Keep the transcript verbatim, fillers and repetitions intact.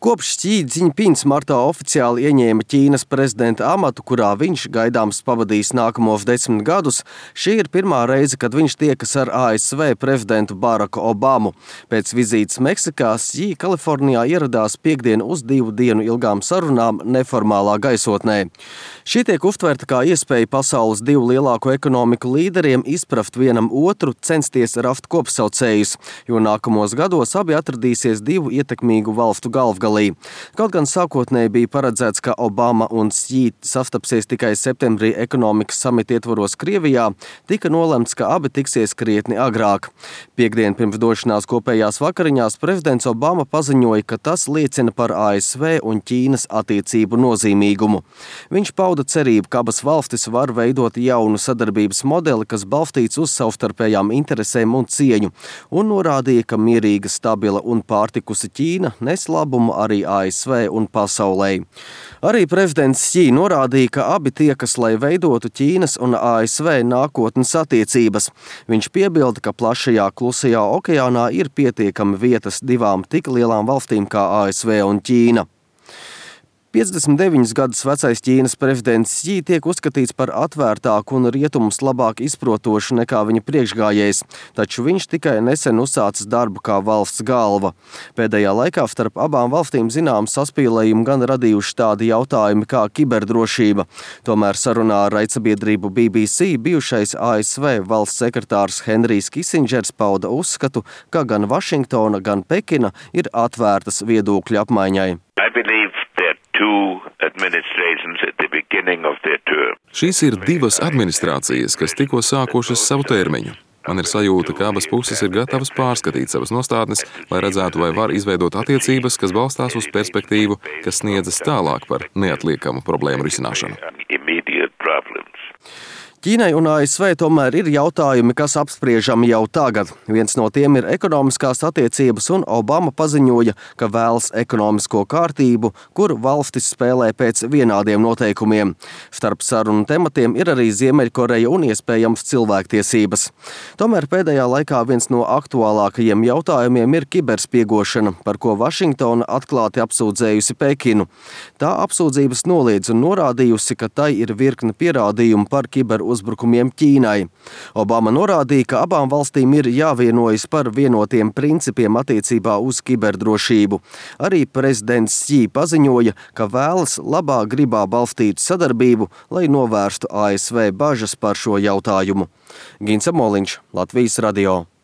Kopš Xi Jinpings martā oficiāli ieņēma Ķīnas prezidenta amatu, kurā viņš gaidāms pavadīs nākamos desmit gadus, šī ir pirmā reize, kad viņš tiekas ar A S V prezidentu Baraku Obamu. Pēc vizītes Meksikā Xi Kalifornijā ieradās piektdien uz divu dienu ilgām sarunām neformālā gaisotnē. Šī tiek uztverta kā iespēja pasaules divu lielāko ekonomiku līderiem izpraft vienam otru, censties rast kopsaucējus, jo nākamos gados abi atradīsies divu ietekmīgu valstu galvgalī. Kaut gan sākotnēji bija paredzēts, ka Obama un Xi sastapsies tikai septembrī ekonomikas samita ietvaros Krievijā, tika nolemts, ka abi tiksies krietni agrāk. Piektdien pirms došanās kopējās vakariņās prezidents Obama paziņoja, ka tas liecina par A S V un Ķīnas attiecību nozīmīgumu. Viņš pauda cerību, ka abas valstis var veidot jaunu sadarbības modeli, kas balstīts uz savstarpējām interesēm un cieņu, un norādīja, ka mierīga, stabila un pārtikusi Ķīna nes labumu arī A S V un pasaulē. Arī prezidents Xi norādīja, ka abi tiekas, lai veidotu Ķīnas un A S V nākotnes attiecības. Viņš piebilda, ka plašajā klusajā okeānā ir pietiekami vietas divām tik lielām valstīm kā A S V un Ķīna. piecdesmit deviņus gadus vecais Ķīnas prezidents Xi tiek uzskatīts par atvērtāku un rietumus labāk izprotošu nekā viņa priekšgājējs, taču viņš tikai nesen uzsācis darbu kā valsts galva. Pēdējā laikā starp abām valstīm zinām saspīlējumu gan radījuši tādi jautājumi kā kiberdrošība. Tomēr sarunā ar raidsabiedrību B B C bijušais A S V valsts sekretārs Henrijs Kisindžers pauda uzskatu, ka gan Vašingtona, gan Pekina ir atvērtas viedokļu apmaiņai. Šīs ir divas administrācijas, kas tikko sākušas savu termiņu. Man ir sajūta, ka abas puses ir gatavas pārskatīt savas nostādnes, lai redzētu, vai var izveidot attiecības, kas balstās uz perspektīvu, kas sniedzas tālāk par neatliekamu problēmu risināšanu. Ķīnai un A S V tomēr ir jautājumi, kas apspriežami jau tagad. Viens no tiem ir ekonomiskās attiecības, un Obama paziņoja, ka vēlas ekonomisko kārtību, kur valstis spēlē pēc vienādiem noteikumiem. Starp sarunu tematiem ir arī Ziemeļkoreja un iespējams cilvēktiesības. Tomēr pēdējā laikā viens no aktuālākajiem jautājumiem ir kiberspiegošana, par ko Vašingtona atklāti apsūdzējusi Pekinu. Tā apsūdzības noliedz un norādījusi, ka tai ir virkne pierādījumu par kiber uzbrukumiem Ķīnai. Obama norādīja, ka abām valstīm ir jāvienojas par vienotiem principiem attiecībā uz kiberdrošību. Arī prezidents Xi paziņoja, ka vēlas labā gribā balstīt sadarbību, lai novērstu A S V bažas par šo jautājumu. Gins Amoliņš, Latvijas radio.